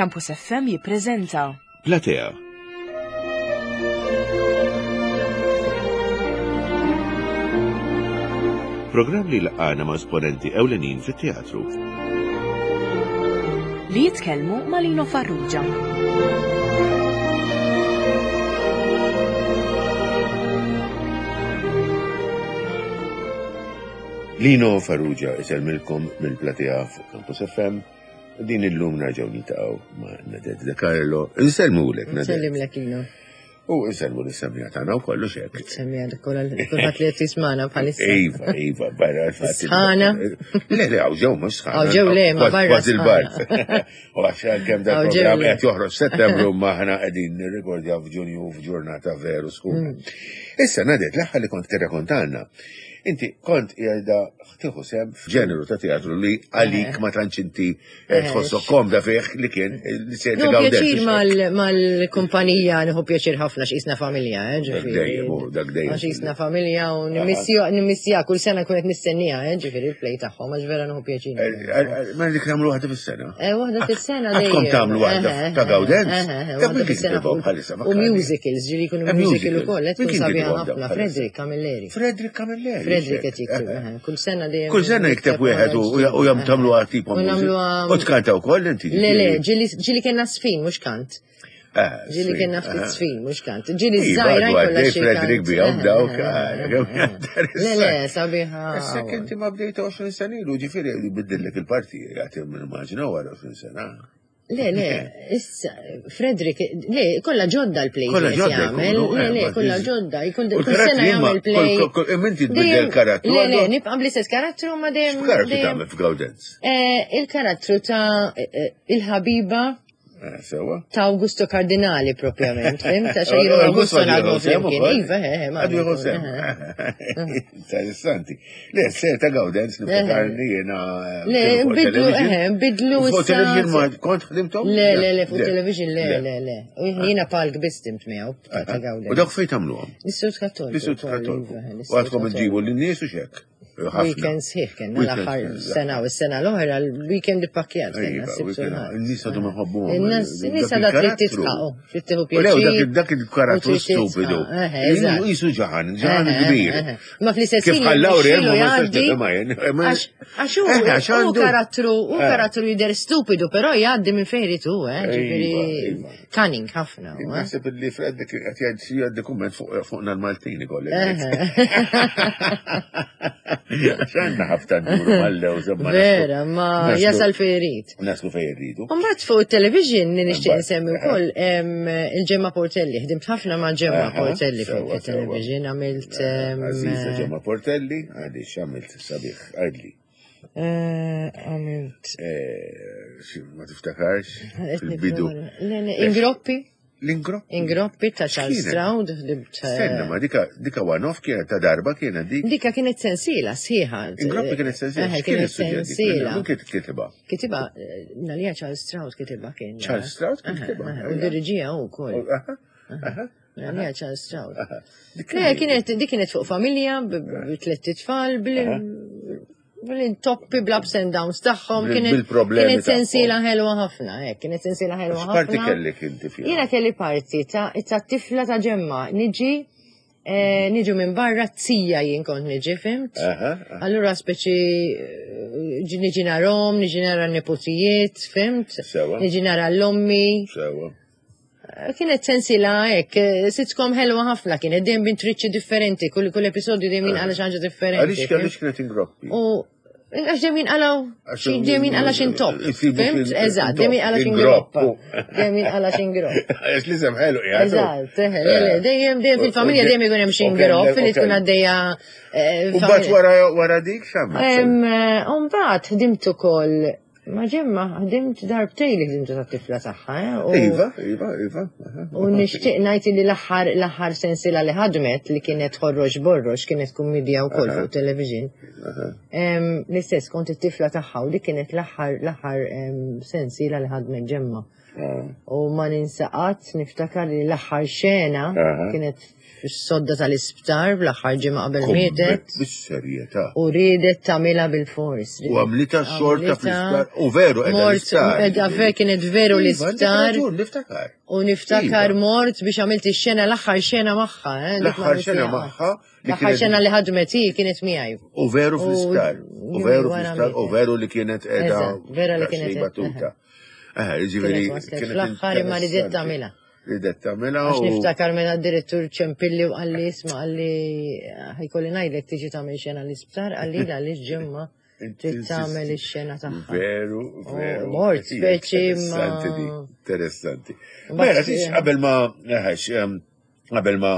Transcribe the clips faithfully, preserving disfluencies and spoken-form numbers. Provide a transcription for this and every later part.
Campus F M jippreżenta Platea. Programm li laqana ma' esponenti ewlenin fit-teatru. Li jitkellmu ma' Lino Farrugia. Lino Farrugia isellmilkom mill-Platea fuq Campus F M. Din illum nerġgħu niltaqgħu ma' Nadette De Carlo. Insellmulek, Nadette. Nsellimlek, Lino. U insellmu lis-semmiegħa tagħna u kollox hekk. Semmiegħa kollha, kulħadd li qed jismagħna bħalissa. Iva, iva, barra l-fatt. Sħana. Le, le, hawn ġew mhux sħana. Hawn ġew le, ma barra Kważi l-bard. U għax kemm dak Hawn ġew programm le. qed joħroġ Settembru, ma aħna qegħdin nirrikordjaw f'Ġunju f'ġurnata veru sħuna. Mm. Issa, Nadette, l-aħħar li kont tirrakontalna, inti kont qiegħda tieħu sehem f'ġeneru ta' teatru li għalik ma tantx inti eh, Eh, tħossok komda fih, li kien li se Nieħu pjaċir mal-kumpanija, nieħu pjaċir ħafna x'qisna familja, eh, ġifieri. Dejjem, u dak dejjem. Għax qisna familja u nimmissja kull sena kun qed nistennija, eh, ġifieri il-play tagħhom, għax vera nieħu pjaċir. Eh, Ma dik nagħmlu waħda fis-sena. Eh, waħda fis-sena Għadkom dejjem. tagħmlu waħda Eh, eh, ta' Gawdenz? eh, eh, Ta' waħda min kien fis-sena. kitibhom bħalissa, U fakkarni. musicals, ġieli jkunu Eh, musical musicals. ukoll, qed Min tkun kien sabiħa kitibhom ħafna. bħalissa? Frederick Camilleri. Frederick Camilleri. Frederick qed jikteb, eh, kull sena dejjem. Kull sena jikteb wieħed u u jam tagħmlu tipo U nagħmluha- U tkanta wkoll inti? Le, le, ġieli ġieli kellna sfin, mhux kant. Eh, Ġieli sfin, kellna ftit eh. sfin, mhux kant. Ġieli Iva, żgħira għadu jkollha għaddej xi Frederick kant. bihom Eh, dawk. eh, eh, eh. Le, le, sabiħa. Issa inti ma bdejt għoxrin sena ilu, ġifieri biddillek il-parti, għati immaġina wara għoxrin sena. Le, le, issa, Frederick, le, kollha ġodda l-play. Kollha qed ġodda jagħmel. jkunu, Le, eh, le, ma kollha tiż- ġodda. Jkun U kull l-karattri sena ma- jagħmel play. kol- kol- kol- inti tbiddel Dejjem- karattru, Le, le, għallu- nibqa' bl-istess karattru ma dejjem. X'karattru dejjem- tagħmel f'Gawdenz? Eh, Il-karattru ta' eh, eh, il-ħabiba Eh, Sewa. ta' Augusto Cardinali propjament, fhimt? Għax jien u Augusto Augusto għadu naħdmu jieħu sehem flimkien. ukoll? Iva, eh, eh, ma' Għadu jieħu sehem. eh, Interessanti. Le, ser ta' Gawdenz niftakarni jiena. eh, Le, kienu fuq bidlu, television. eh, bidlu U fuq issa- television ma kont ħdimtom? Le, le, le, fuq television, le, le, le. U jiena palk biss ħdimt miegħu ta' ta' Gawdenz. U dawk fejn tagħmluhom? L-Istitut Kattoliku. L-Istitut ukoll, Kattoliku. iva, U l-Istitut għadkom Kattoliku. iġibu l-nies u xek? Ħafna. Weekend sħiħ kellna Weekend l-aħħar sħiħ, sena u s-sena l-oħra l-weekend ippakkjat kellna Iva, s-Sibt u weekend. l-Ħadd. In-nies għadhom iħobbuhom. In-nies in-nies Dak għadha trid il-karattru. titqaqu, trid tieħu U lew, dak pjaċir. dak il-karattru u trid titqaq. stupidu. Eh, eżatt. Jisu ġaħan, ġaħan Eh, kbir. eh, eh. Ma fl-istess Kif ħin ħallaw jirnexxielu ma nistax jgħaddi. nifhimha jien. Ma- Għax għax hu Eh, għax hu għandu- karattru, hu Eh. karattru jidher stupidu, però jgħaddi minn fejn irid hu, eh, ġifieri Iva, iva. cunning ħafna. hu, eh. Naħseb li Fred qed jgħid jgħaddi kumment fuq fuqna l-Maltini kolli. Eh. Għax għandna ħafna nduru mal-lew żemma. Vera, ma naslu- jasal fejn irid. Naslu fejn irridu. Mbagħad fuq il-television li nixtieq Mbagħad, insemmi wkoll em, il-Ġemma Portelli, ħdimt ħafna ma' Ġemma Aha, Portelli fuq sewa, il-television, għamilt em, Aziza Ġemma Portelli, għadi x'għamilt sabiħ, għadli. eh, għamilt Eh, xi- Ma tiftakarx qed fil-bidu. nipprova- Le, le, Ingroppi, L-ingroppi. Ingroppi ta' Charles X'kienet? Stroud, ħdimt eh, Stenna, ma dika dika one-off kienet ta' darba kienet dik. Dika kienet sensiela sħiħa. Ingroppi kienet sensiela. Eh, X'kien kienet is-suġġett dik? sensiela. Min kien kitibha? Kitiba, eh, nalija Charles Stroud kitiba kien. Charles Stroud kien Aha, kitibha, aha, U diriġija u koll. Aha, aha. Nalija Charles Stroud. aha. Dik Le, kienet, dik kienet fuq familja, b- b- tliet tfal, bil-intoppi, bl-ups and downs tagħhom. Bil- Kienet bil-problemi kienet sensiela tagħhom. ħelwa ħafna, eh, kienet sensiela ħelwa ħafna. X'parti kellek inti fiha? Jiena kelli parti ta' ta' tifla ta' Ġemma, niġi, eh, niġu minn barra tija jien kont niġi, fhimt? Aha, aha. Allura speċi eh, ġi- niġi narom, niġi nara n-nepotijiet, fhimt? Sewa. Niġi nara l-ommi. Sewa. Eh, Kienet sensila hekk, eh, sitcom ħelwa ħafna kienet dejjem b'intriċċi differenti, kull kull episodju dejjem jinqala xi ħaġa differenti. Għaliex fhimt? għaliex kienet Ingroppi? U għax dejjem jinqalaw Għax xi dejjem jinqala xi intopp. Isibu Fhimt? xi- Eżatt, dejjem jinqala xi ingroppu. ingroppa. Dejjem jinqala xi ingropp. Għax li sem ħelu qiegħed. Eżatt, eh, le, le, dejjem dejjem fil-familja dejjem ikun hemm xi ingropp li tkun għaddejja. eh, U mbagħad familja. wara wara dik x'għamilt? Em, eh, U mbagħad ħdimt ukoll ma' Ġemma, ħdimt darbtejn li ħdimtu tat-tifla tagħha, eh, u- Iva, iva, iva. aha. U nixtieq ngħid li l-aħħar l-aħħar sensiela li ħadmet, li kienet Ħorroġ Borroġ, kienet kummedja wkoll fuq television. Aha. Em, L-istess kont it-tifla tagħha u dik kienet l-aħħar l-aħħar em, sensiela li ħadmet Ġemma. Ah. U ma ninsa qatt niftakar li l-aħħar xena Aha. kienet fis-sodda tal-isptar bl-aħħar ġimgħa qabel mietet Bis-serjetà. u riedet tagħmilha bil-fors. U għamlitha xorta fl-isptar. U veru qiegħda Mort, l-isptar. edha ver kienet veru Iva, l-isptar. għandek raġun, Niftakar. U niftakar Iva. mort biex għamilt ix-xena l-aħħar xena magħha. eh, dik ma L-aħħar xena għamiltiha. magħha li L-aħħar kienet- xena li ħadmet hi kienet miegħi. U veru U- fl-isptar. U veru wara fl-isptar. U mietet. veru li kienet qiegħda. Eżatt, vera li kienet daqsxejn qed- battuta. Eh, ġifieri. Kienet waslet fl-aħħar imma ridet interessanti. tagħmilha. Ridet tagħmilha Għax u. niftakar meta d-direttur ċempilli u qalli isma' qalli ħajkolli ngħidlek tiġi tagħmel xena l-isptar qalli għaliex ġimma trid tagħmel ix-xena tagħha. Veru, veru. mort, Hija speċi ma- Interessanti di, interessanti. Mbagħad- Mela, tix qabel ma, eħex, em, qabel ma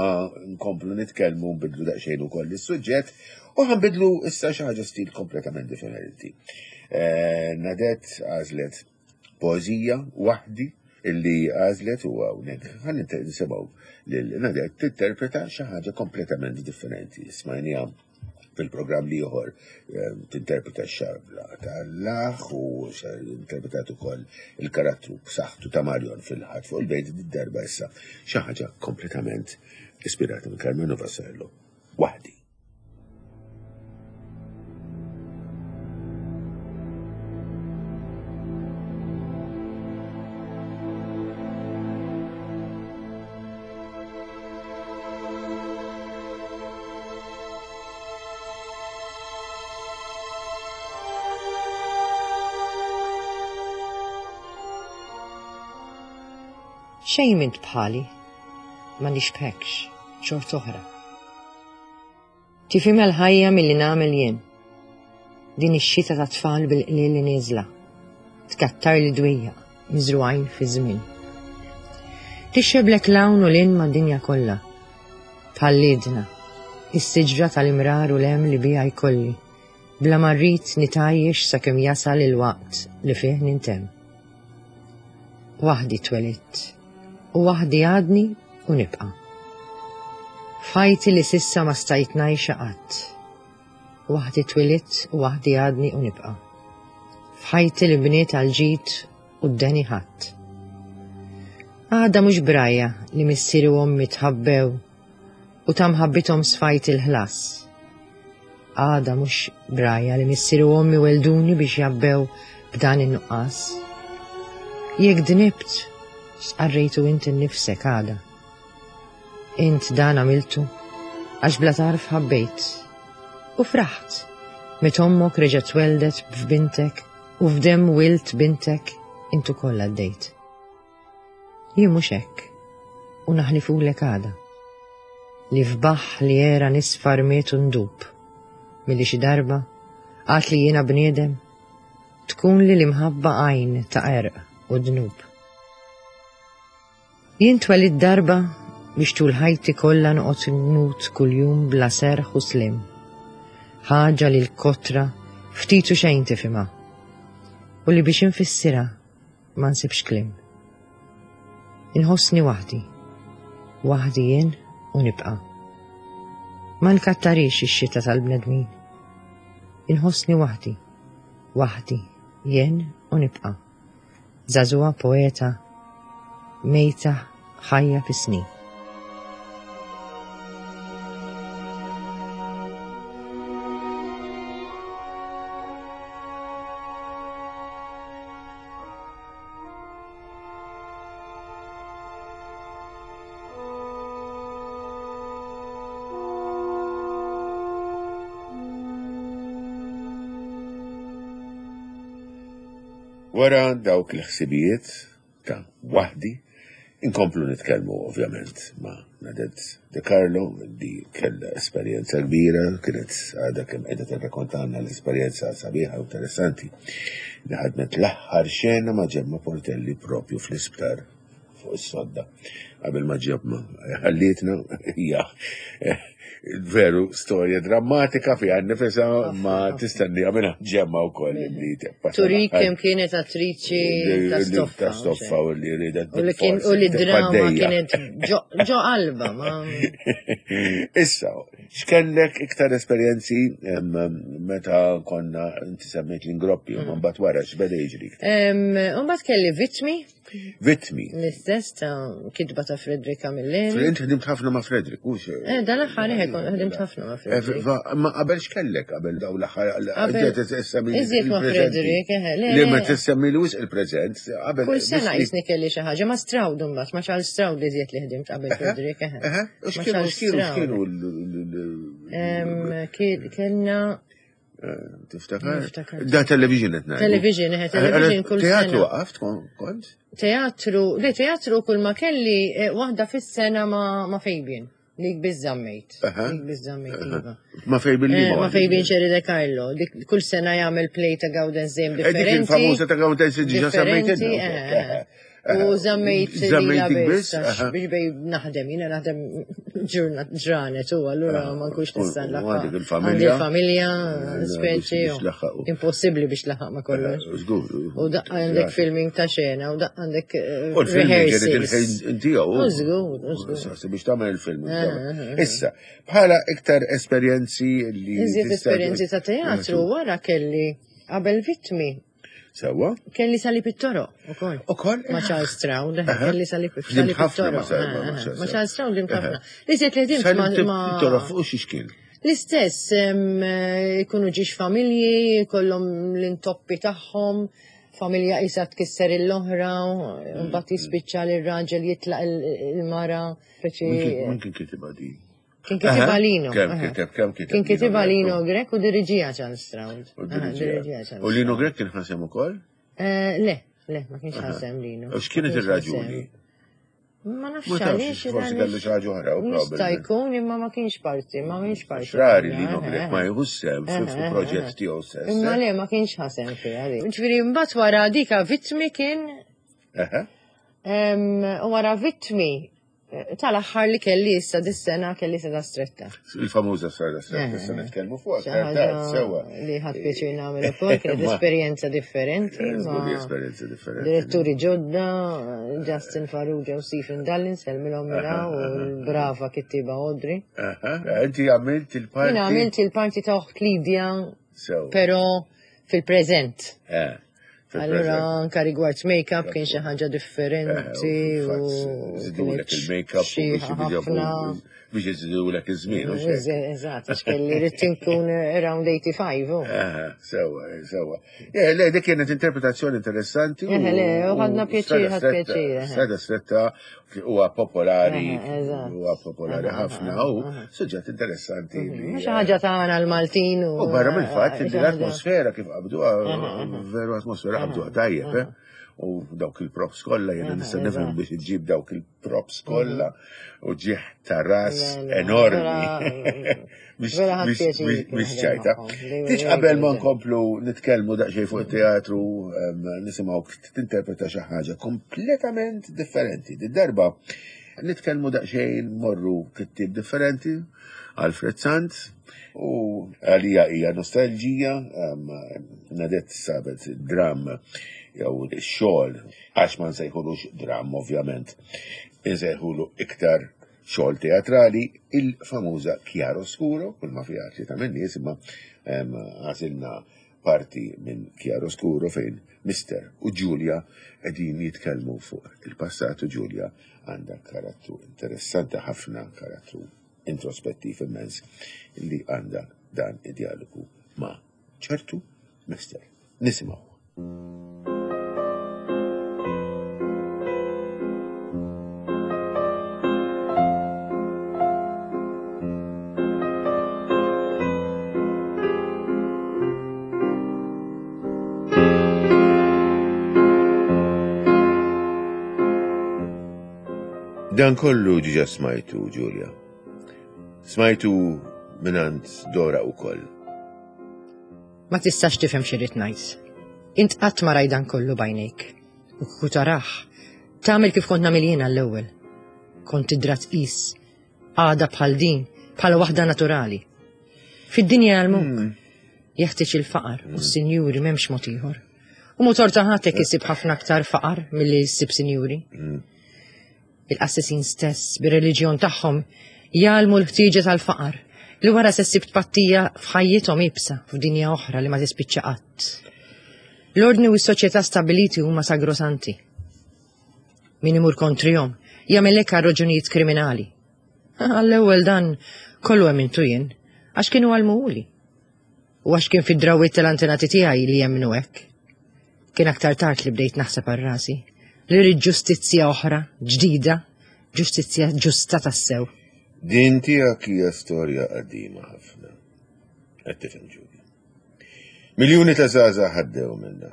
nkomplu nitkellmu nbidlu daqsxejn ukoll is-suġġett u ħanbidlu issa xi ħaġa stil kompletament differenti. Eh, Nadette għażlet poeżija waħdi illi għażlet u hawnhekk ħa nisimgħu lil Nadette tinterpreta xi ħaġa kompletament differenti. Smajniha fil-programm l-ieħor tinterpreta x-xabla tal-laħ u interpretat ukoll il-karattru b'saħħtu ta' Marion fil-ħadd fuq il-bejt id-darba issa xi ħaġa kompletament ispirata minn Karmenu Vassallo. Waħdi. Xejn mint bħali, ma nixbhekx, xort oħra. Tifhimha l-ħajja milli nagħmel jien. Din ix-xita ta' tfal bil-qliel li nieżla. Tkattar li dwija, miżrugħin fi żmien. Tixxeblek l-hawn u l-in mad-dinja kollha. Bħal-lidna, is-siġra tal-imrar u l-hemm li biha jkolli. Bla ma rrid nitgħajjex sakemm jasal il-waqt li fih nintemm. Waħdi twelidt u waħdi għadni u nibqa'. F'ħajti li sissa ma stajt ngħixha qatt. Waħdi twelidt u waħdi għadni u nibqa'. F'ħajti li bniet għal ġid u d-deni ħadd. Għada mhux brajja li missieri u ommi tħabbew u ta' mħabbithom sfajt il-ħlas. Għada mhux brajja li missieri u ommi welduni biex jabbew b'dan in-nuqqas. Jekk dnibt, stqarrejtu int innifsek għada. Int dan għamiltu, għax bla tarf ħabbejt. U fraħt, meta ommok reġgħet tweldet f'bintek u f'demm wilt bintek int ukoll għaddejt. Jien mhux hekk, u naħlifulek għada. Li f'baħ li era nisfar miet u ndub, milli xi darba, għad li jiena bniedem, tkun li l-imħabba għajn ta' erq u dnub. Jien twelidt darba biex tul ħajti kollha noqgħod nmut kuljum bla serħ u slim. Ħaġa li l-kotra ftit u xejn tifhimha. U li biex infissirha ma nsibx kliem. Inħossni waħdi, waħdi jien u nibqa'. Ma nkattarix ix-xita tal-bnedmin. Inħossni waħdi, waħdi jien u nibqa'. Żagħżugħa poeta, mejta ħajja fis-snin. Wara dawk l-ħsibijiet ta' waħdi, inkomplu nitkellmu ovvjament ma' Nadette De Carlo li kellha esperjenza kbira, kienet għadha kemm qiegħda tirrakkontalna l-esperjenza sabiħa u interessanti li ħadmet l-aħħar xena ma' Ġemma Portelli propju fl-isptar fuq is-sodda. Qabel ma Ġemma ħallietna hija veru storja drammatika fiha nnifisha ma tistennija minn Ġemma wkoll li tibqa' Turik kemm kienet attriċi ta' stoffa. Ta' stoffa u li ridet U li kien u li drama kienet ġo ġo qalba ma Issa, x'kellek iktar esperjenzi em, meta konna inti semmejt l-ingroppi, u mbagħad wara x'beda jiġri. Mbagħad kelli Vittmi, Vittmi. l-istess ta' kitba ta' Frederick Camilleri. Inti ħdimt ħafna ma' Frederick, u xe? Eh, dan l-aħħar eh, kont ħdimt ħafna ma' Eh, Frederick. va- Ma qabel x'kellek qabel daw l-aħħar Qabel- inti tissemmi Iżjed ma' il-preżenti. Frederick, eh, le, Li le. ma tissemmi li wisq il-preżent, qabel. Kull sena biss li- jisni kelli xi ħaġa ma' Stroud imbagħad, ma' Charles Stroud li żjed li ħdimt qabel Frederick. eh. Eħe, u Ma' x'kienu Charles x'kienu Stroud. x'kienu l- l- Em, ki- Kellna l- tiftakar? Niftakar. Da television qed ngħidu. Television, eħe, television kull Teatru sena. waqaft kon- kont? Teatru, le teatru kull ma kelli eh, waħda fis-sena ma' ma' Fabian. Dik biżammejt. Aha. Dik biżammejt, iva. Ma Fabian li Eh, Ma' Fabian Sherry De Carlo. Dik kull sena jagħmel play ta' Gawdens dejjem Eh, Dik differenti. il-famuża ta' Gawdens diġà semmejt Differenti, eh, eh. U żammejt Żammejt lila dik biss, biss? għax aha. biex bej naħdem, jiena naħdem ġurnat ġranet u allura ma nkunx U- nista' u nlaħħaq. għandek il-familja. Għandi il-familja, Eh, speċi. biex tlaħħaq. u Impossibbli biex laħaq ma kollox. Żgur. U daqqa għandek filming ta' xena, u daqqa għandek eh, U l-filming kienet rehearsals. il-ħin tiegħu. U żgur, u żgur. Sa- Biex tagħmel il-film. Eh, eh, Issa, bħala iktar esperjenzi li. Iżjed tista' esperjenzi ta' teatru wara kelli qabel vittmi. Sewwa? Kelli sali pittoro, u koll. Ukoll? Ma' Charles Stroud, Aha. kelli sali Ħdimt sali ħafna pittoro. ma' Sal- ma' eh, eh, Charles Ma' Charles Stroud ħdimt Aha. ħafna. Li żied li ħdimt Sali ma' ma' Toro fuq xi xkien. L-istess, em, eh, ikunu ġiex familji, kollhom l-intoppi tagħhom, familja isa tkisser il-oħra, u mbagħad jispiċċa li r-raġel jitlaq il- il-mara, speċi Min kien kitibha di? kien kitibha Aha. Lino. Kemm aha. kiteb, kemm kiteb Kien Lino kitibha Grech, Lino Grech u diriġija Charles Stroud. U Aha, diriġija. diriġija Charles U Lino Stroud. Grech kien ħasem ukoll? Eh, Le, le, ma kienx ħasem Lino. U x'kienet Ma kienx ir-raġuni? ħasem. Ma nafx Ma tafx, għaliex. forsi għaliex- kellu xi ħaġa oħra, u Jista' probabbilment. jkun imma ma kienx parti, ma kienx parti. Xrari Eh, Lino Grech eh, ma jieħux sem eh, fi eh, proġett eh. tiegħu stess. Imma eh? le ma kienx ħasem fiha di. Ġifieri mbagħad wara dika vittmi kien Aha. em, u wara vittmi eh, tal-aħħar li kelli issa dis-sena kelli seda stretta. Il-famuża strada stretta, Eh, issa eh. nitkellmu fuq, Xi aktar ħaġa tard, sewwa. Li ħadd pjaċir nagħmel ukoll kienet Ma- esperjenza differenti. Eh, żgur li ma' esperjenza differenti. Diretturi ġodda, Justin Farrugia u Stephen Dallin, selmilhom mela u l-brava kittiba Audrey. Aha. Inti għamilt il-parti. Jien għamilt il-parti ta' oħt Lydia, Sewwa. però fil-preżent. Eh, Allura fil-preżent. anka rigward make-up kien xi ħaġa differenti Eh, u u Zidulek kienet il-make-up u xi biex ħafna. biex jizidulek iż-żmien. u xejn. Eżatt, għax kelli rrid inkun around eighty-five. u. Aha, Sewwa, sewwa. Eh, Le, dik kienet interpretazzjoni interessanti. Eh, le, u ħadna pjaċir, Strada ħadd Stretta- pjaċir, eh. Strada stretta huwa popolari, Eh, eżatt. huwa popolari Aha, ħafna aha, u aha. suġġett interessanti. li, Mhux xi ħaġa tagħna l-Maltin u U barra mill-fatt li xi ħaġa- l-atmosfera kif qabduha, Aha, aha. veru atmosfera qabduha tajjeb, eh? U dawk il-props kollha, jiena Aha, nista' nifhem eżatt. biex iġġib dawk il-props kollha u ġieħ ta' ras Le, le, enormi. vera- Biex vera ħadt biex- pjaċir biex- kien biex naħdem ċajta. magħhom. They were Tiġ very qabel ma good. nkomplu nitkellmu daqsxejn fuq it-teatru, em, nisimgħu tinterpreta xi ħaġa kompletament differenti. Di darba nitkellmu daqsxejn morru kittieb differenti, Alfred Sant, u għalija hija nostalġija, em, Nadette sabet dram jew xogħol, għax ma nsejħulux dram ovvjament, insejħulu iktar xogħol teatrali, il-famuża Chiaroscuro, kull ma fiha tlieta minn nies imma em, għażilna parti minn Chiaroscuro fejn Mister u Giulia qegħdin jitkellmu fuq il-passat u Giulia għandha karattru interessanti ħafna, karattru introspettiv immens li għandha dan id-dialogu ma' ċertu Mister. Nisimgħu. Dan kollu ġiġa smajtu, Giulia. Smajtu minant Dora u koll. Ma tistax tifhem xi rrid ngħid. Int qatt ma rajt dan kollu bajnejk. U kieku tarah, tagħmel kif kont nagħmel jiena l-ewwel. Kont tidra tqis għada bħal din, bħala waħda naturali. Fid-dinja għal-muk, jeħtieġ il-faqar u s-sinjuri m'hemmx mod ieħor. U motor ta' ħatek isib ħafna aktar faqar milli jsib sinjuri. Il-qassisin stess, bir-reliġjon tagħhom, jgħalmu l-ħtieġa tal-faqar, Li wara se ssib tpattija f'ħajjithom ibsa f'dinja oħra li ma tispiċċa qatt. L-ordni u s-soċjetà stabiliti huma sagrosanti. Min imur kontrihom jagħmel hekk għal raġunijiet kriminali. Għall-ewwel dan kollu emmintu jien, għax kienu għallmuhuli. U għax kien fid-drawwiet tal-antenati tiegħi li jemmnu hekk. Kien aktar tard li bdejt naħseb għal rasi li rrid ġustizzja oħra, ġdida, ġustizzja ġusta tassew. Din tiegħek hija storja qadima ħafna. Qed tifhem Ġulja. Miljuni ta' żgħażagħ għaddew minnha.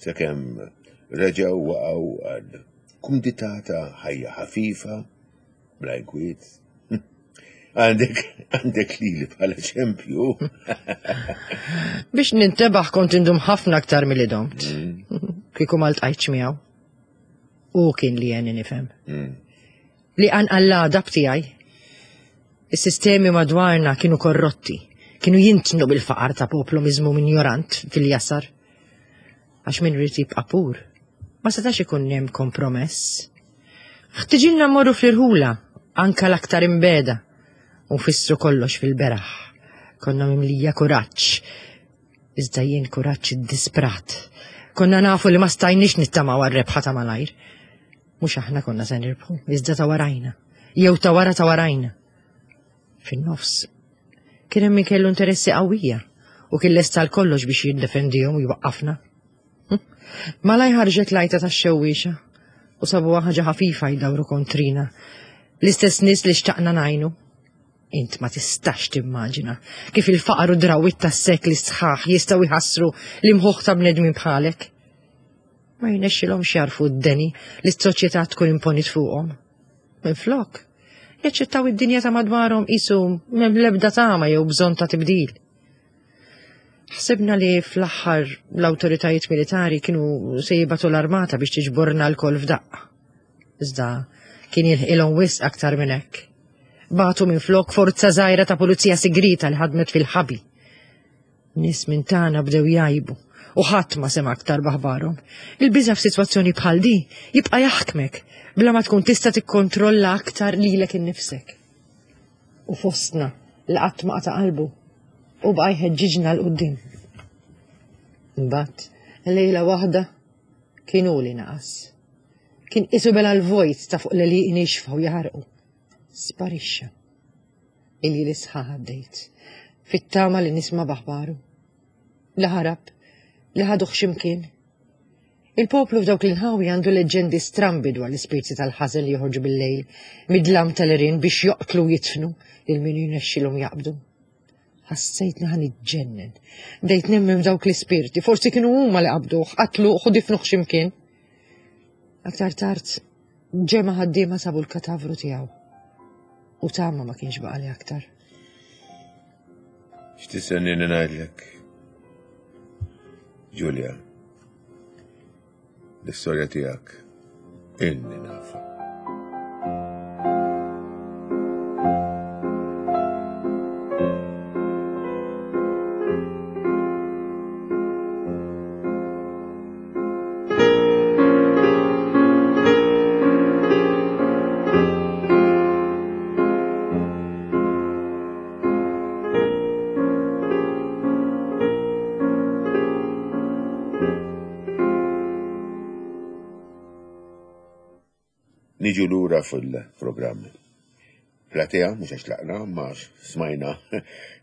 Sakemm reġgħu waqgħu għal kumdità ta' ħajja ħafifa, bla inkwiet. Għandek għandek lili bħala eżempju. Biex nintebaħ kont indum ħafna aktar milli domt. Kieku ma ltqajtx miegħu. U kien li għenni nifhem. Li qanqal l-għadab tiegħi. Is-sistemi madwarna kienu korrotti, kienu jintnu bil-faqar ta' poplu miżmum injorant fil-jasar. Għax min irid jibqa' pur, ma setax ikun hemm kompromess. Ħtiġilna mmorru fl-irħula, anka l-aktar imbegħda, u nfissru kollox fil-beraħ. Konna mimlija kuraġġ, iżda jien kuraġġ iddisprat. Konna nafu li ma stajniex nittamaw għal-rebħa ta' malajr. Mhux aħna konna se nirbħu, iżda ta' warajna. Jew ta' wara ta' warajna. Fin-nofs, kien hemm min kellu interessi qawwija u kien lest għal kollox biex jiddefendihom u jwaqqafna. Hm. Malaj ħarġet l-għajta tax-xewwiexa u sabuha ħaġa ħafifa jdawru kontrina. L-istess nies li xtaqna ngħinu. Int ma tistax timmaġina kif il-faqar u drawwiet tas-sekli sħaħ jistgħu jħassru l-imħuħ ta' bnedmin bħalek. Ma jirnexxilhomx jagħrfu d-deni li s-soċjetà tkun imponit fuqhom. Minflok, jaċċettaw id-dinja ta' madwarhom qisu m'hemm l-ebda tama jew bżonn ta' tibdil. Ħsibna li fl-aħħar l-awtoritajiet militari kienu se jibagħtu l-armata biex tiġborna lkoll f'daqqa. Iżda kien jilħqilhom wisq aktar minn hekk. Bagħtu minflok forza żgħira ta' pulizija sigrita li ħadmet fil-ħabi. Nies minn tagħna bdew jgħibu u ħadd ma sema aktar b'aħbarhom. Il-biża' f'sitwazzjoni bħal di jibqa' jaħkmek bla ma tkun tista' tikkontrolla aktar lilek innifsek. U fostna li qatt ma qata' qalbu u baqa' jħeġġiġna 'l quddiem. Imbagħad lejla waħda kien hu li naqas. Kien qisu bela' l-vojt ta' fuq l-għelieqi niexfa u jaħarqu. Sparixxa. Iljieli sħaħ għaddejt. Fit-tama li nisma' b'aħbaru. Li ħarab, li ħaduh x'imkien. Il-poplu f'dawk l-inħawi għandu leġġendi strambi dwar l-ispirti tal-ħażen li joħorġu bil-lejl mid-dlam tal-għerien biex joqtlu u jidfnu lil min jirnexxilhom jaqbdu. Ħassejtni ħa niġġennen. Bdejt nemmen f'dawk l-ispirti, forsi kienu huma li qabduh, qatluh u difnuh x'imkien. Aktar tard, ġemgħa ħaddiema sabu l-katavru tiegħu. U tama ma kienx baqali aktar. X'tistennini ngħidlek? Ġulja, l-istorja tiegħek inni nafa. Niġu lura fil-programm. Platea, mhux għax tlaqna, ma smajna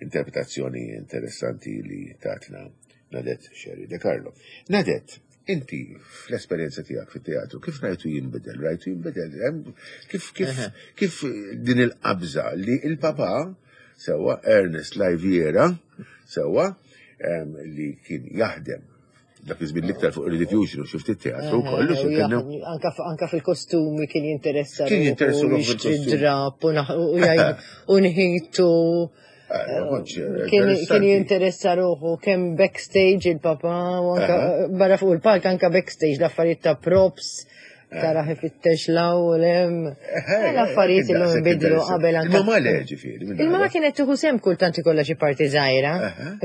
interpretazzjoni interessanti li tatna Nadette Scerri De Carlo. Nadette, inti fl-esperjenza tiegħek fit-teatru, kif rajtu jinbidel? Rajtu jinbidel? Kif, kif, kif din il-qabża li il-papa, sewwa Ernest Laiviera, sewwa li kien jaħdem dak iż-żmien l-iktar fuq il-Rediffusion u xi ftit teatru kollu xi kien hemm. Anka anka fil-kostumi kien jinteressa. Kien jinteressa ruħu fil-kostumi. Drap u nħitu. Kien jinteressa ruħu kemm backstage il-papa u anka barra fuq il-palk anka backstage l-affarijiet ta' props, Tara ifittex law u lem. L-affarijiet illum inbidlu qabel anke. Il-mamà le ġifieri. Il-mamà kienet tieħu sehem kultant ikollha xi parti żgħira,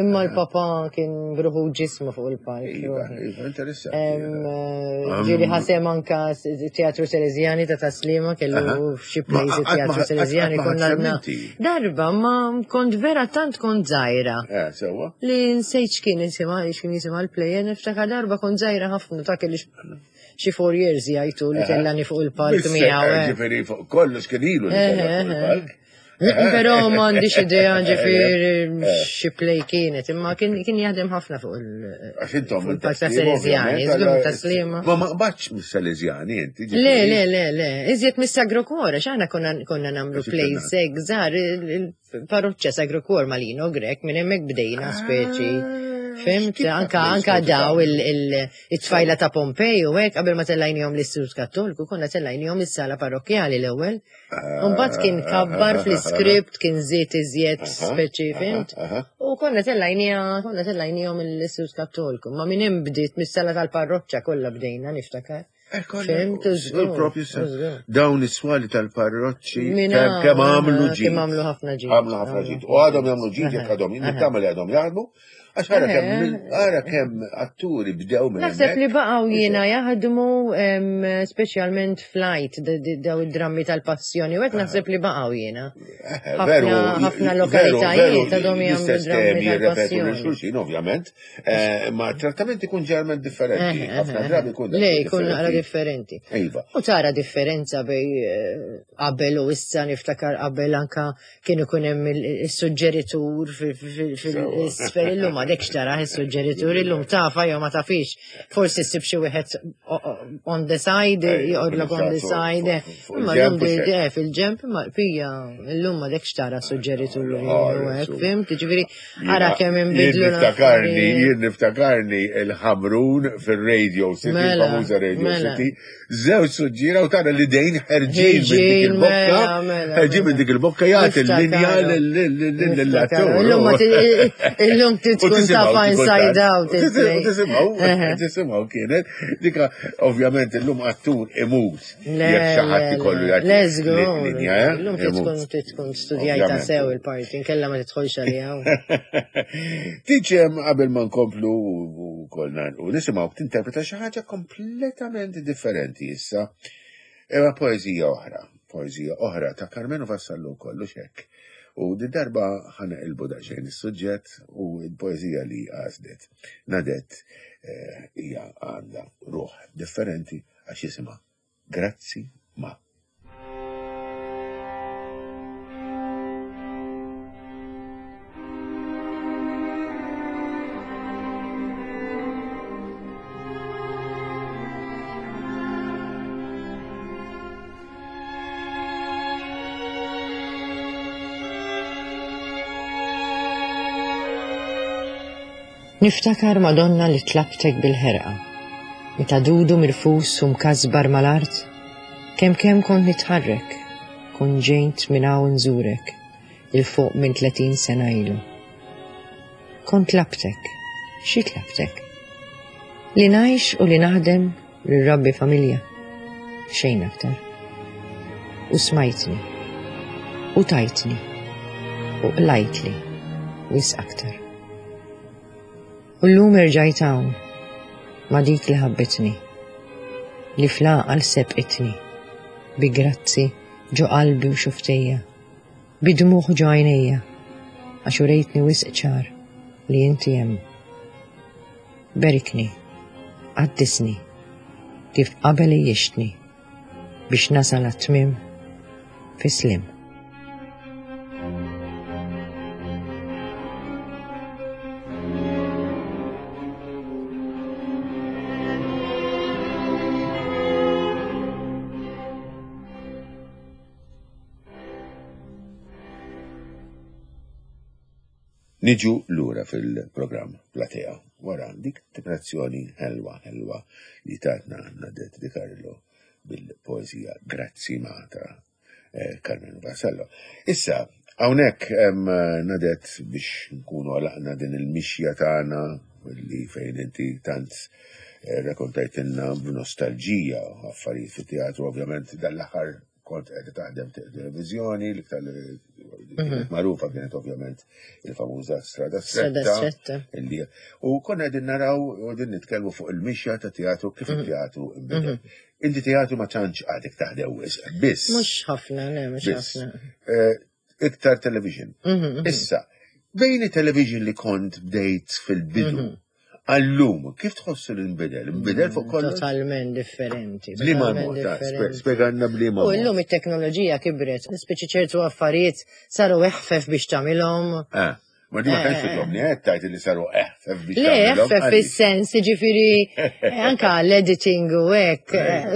imma l-papà kien bruħu ġismu fuq il-palk. Iva, iva, interessanti. Ġieli ħa sehem anka Teatru Salesiani ta' Taslima kellu xi plays Teatru Salesiani konna darba ma kont vera tant kont żgħira. Eh, sewwa. Li nsejt x'kien isimha, x'kien jisimha l-play, niftakar darba kont żgħira ħafna ta' kelli xi four years jgħidu li tellani fuq il-palk miegħu. Eh. Ġifieri fuq kollox kien ilu li tellani fuq il-palk. Però m'għandix idea ġifieri xi play kienet, imma kien jaħdem ħafna fuq il-palk ta' Salesiani, żgur ta' Sliema. Ma ma qbadx mis-Salesiani inti. Le, le, le, le, iżjed mis-Sagro Cuore, x'aħna konna nagħmlu plays hekk żgħar, il-parroċċa Sagro Cuore Malino Grech, minn hemmhekk bdejna speċi. Fhimt, anka anka daw il-tfajla ta' Pompej u hekk qabel ma tellajnihom l-Istitut Kattoliku, konna tellajnihom is-sala parrokkjali l-ewwel. Mbagħad kien kabbar fl-iskript, kien żied iżjed speċi, fhimt? U konna tellajnija, konna tellajnihom l-Istitut Kattoliku. Ma minn hemm bdiet mis-sala tal-parroċċa kollha bdejna niftakar. Fhimt, żgur. Dawn is-swali tal-parroċċi kemm għamlu ġid. Kemm għamlu ħafna ġid. Għamlu ħafna ġid. U għadhom jagħmlu ġid jekk għadhom, nittama li għadhom jaħdmu. Għax ara kemm ara kemm atturi bdew minn Naħseb li baqgħu jiena jaħdmu speċjalment flight daw id-drammi tal-passjoni u hekk naħseb li baqgħu jiena. Veru, ħafna lokalitajiet għadhom jagħmlu drammi tal-passjoni. Xulxin, ovvjament, ma trattament ikun ġerment differenti. Ħafna drabi jkun Le, jkun naqra differenti. Iva. U tara differenza bej qabel u issa niftakar qabel anka kien ikun hemm is-suġġeritur fil-isfel illum għadek xtara is-suġġeritur illum tafa jew ma tafix. Forsi ssib xi wieħed on the side, joqgħodlok on the side. Imma llum fil-ġemp, imma pija illum m'għadekx tara suġġeritur u hekk, fhimt? Ġifieri ara kemm inbidlu. Jien niftakarni, jien niftakarni il-Ħamrun fil-Radio City, il-famuża Radio City, żewġ suġġiera u tara li dejn ħerġin minn dik il-bokka, ħerġin minn dik il-bokka jagħti l-linja lill-attur. Illum tkun tafa inside out. Tisimgħu, tisimgħu kienet dika ovvjament illum attur imut. Jekk xi ħadd ikollu jagħti linja. Illum tkun tkun studjajta sew il-parti, inkella ma tidħolx għaliha. Tiġem qabel ma nkomplu kolna u nisimgħu tinterpreta xi ħaġa kompletament differenti issa. Imma poeżija oħra, poeżija oħra ta' Karmenu Vassallo kollu xekk. U di darba ħana il daqsxejn is-suġġett u l-poeżija li għażlet Nadette hija għandha ruħ differenti għax jisimha Grazzi ma. Niftakar Madonna li tlabtek bil-ħerqa, meta dudu mirfus u mkasbar mal-art, kemm kemm kont nitħarrek, kont ġejt minn hawn nżurek, il fuq minn tletin sena ilu. Kont tlabtek, xi tlabtek? Li ngħix u li naħdem li rabbi familja, xejn aktar. U smajtni, u tajtni, u qlajtli, wisq aktar. U llum erġajt hawn ma' dik li ħabbitni, li fl-għaqal sebqitni, bi grazzi ġo qalbi u xuftejja, bi dmugħ ġo għajnejja, għax urejtni wisq ċar li inti hemm. Berikni, qaddisni, kif qabel ijixtni, biex nasal għat-tmiem fi slim. Niġu lura fil-programm Platea wara dik interpretazzjoni ħelwa ħelwa li tatna Nadette De Carlo bil-poeżija Grazzi ma ta' Carmen Vassallo. Issa, hawnhekk Nadette biex nkunu għalaqna din il-mixja tagħna li fejn inti tant Rrakkontajtilna b'nostalġija affarijiet fit-teatru, ovvjament dan l-aħħar kont qed taħdem televizjoni, l-iktar li kienet magħrufa kienet ovvjament il-famuża Strada Stretta. U konna qegħdin naraw u qegħdin nitkellmu fuq il-mixja ta' teatru, kif il-teatru inbidel. Inti teatru ma tantx għadek taħdem wisq, biss. Mhux ħafna, le, mhux ħafna. Iktar television. Issa, bejn il-television li kont bdejt fil-bidu, għal-lum, kif tħossu li nbidel? Nbidel fuq kollox? Totalment differenti. B'liema mod, spjegalna b'liema. U illum it-teknoloġija kibret, speċi ċertu affarijiet saru eħfef biex tagħmilhom. Eh, ma di ma tantx titlobni, eh, tajt li saru eħfef biex Le, eħfef fis-sens, ġifieri anka l-editing u hekk,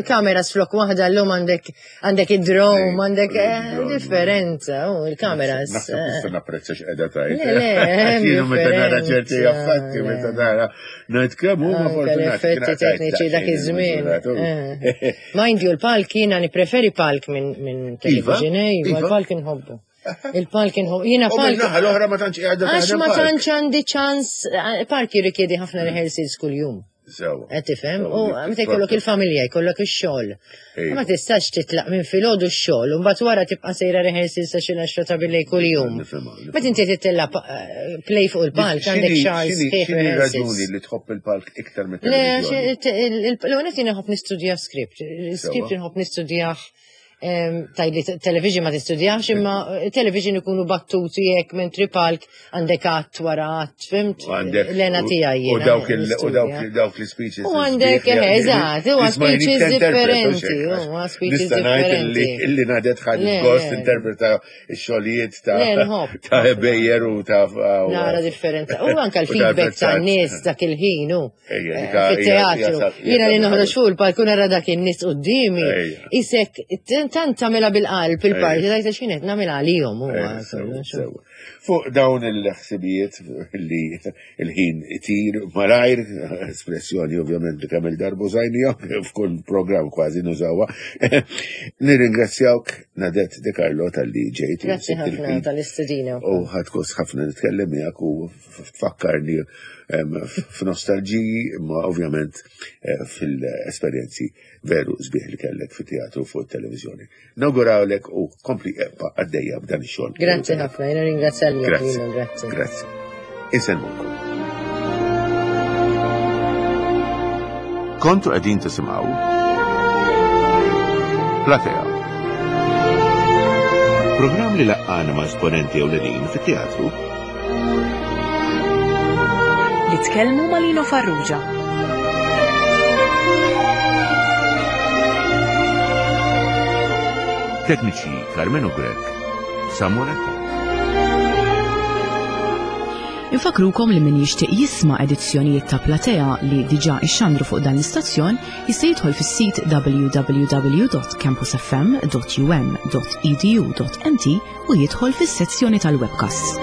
kameras flok waħda llum għandek għandek id-drone, għandek differenza, u il-kameras. Naħseb tista' napprezza x'qiegħda tajt. Le, le, meta nara ċerti affatti, meta nara ngħid kemm huma fortunati. L-effetti tekniċi dak iż-żmien. Mind you, l-palk jiena nippreferi palk minn television, iva, l-palk inħobbu. Il-palk inħobbu. Jiena palk. U l-oħra ma tantx qiegħda. Għax ma tantx għandi ċans, palk jirrikjedi ħafna rehearsals kuljum. Qed tifhem? U meta jkollok il-familja, jkollok ix-xogħol. Ma tistax titlaq minn filgħodu x-xogħol u mbagħad wara tibqa' sejra rehearsals sa xi għaxra ta' billejl kuljum. Meta inti titella' play fuq il-palk għandek xahar sħiħ. X'inhi raġuni li tħobb il-palk iktar mit Le, l-għonet jiena nħobb nistudja script. Il-script inħobb nistudjah tajli television ma tistudjax, imma television ikunu battuti jekk mentri palk għandek att wara att, fhimt? L-għena tiegħi. U dawk dawk l-speeches. U għandek, eżatt, u speeches differenti. U speeches differenti. Illi Nadette ħadet gost interpreta x-xogħlijiet ta' Bejer u ta' Nara differenza. U anka l-feedback ta' nies dak il-ħin, u. Fit-teatru. Jiena li noħroġ fuq il-palk u nara dak in-nies quddiemi. Isek, tant tagħmilha bil-qalb il-parti, tajta x'kienet nagħmilha għalihom huwa. Fuq dawn il-ħsibijiet li il-ħin itir malajr, espressjoni ovvjament li kemm il-darba użajnija, f'kull program kważi nużawha. Nirringrazzjawk, Nadette De Carlo, talli ġejt. Grazzi ħafna tal-istedina. U ħadt gost ħafna nitkellem miegħek u tfakkarni f'nostalġiji, imma ovvjament eh, fil-esperjenzi veru sbieħ li kellek fit-teatru fuq it-televizjoni. Nawgurawlek u kompli ebqa' għaddejja b'dan ix-xogħol. Grazzi ħafna, jiena ringrazzja Grazzi. Grazzi. Grazzi. Insellmukom. Kontu qegħdin tisimgħu Platea. Programm li laqqana ma' esponenti ewlenin fit-teatru li tkellmu ma' Lino Farrugia. Tekniċi Carmenu Grech, Samuel Infakrukom li min jixtieq jisma' edizzjonijiet ta' Platea li diġà ixxandru fuq dan l-istazzjon jista' jidħol fis-sit w w w dot campusfm dot u m dot e d u dot m t u jidħol fis-sezzjoni tal-webcasts.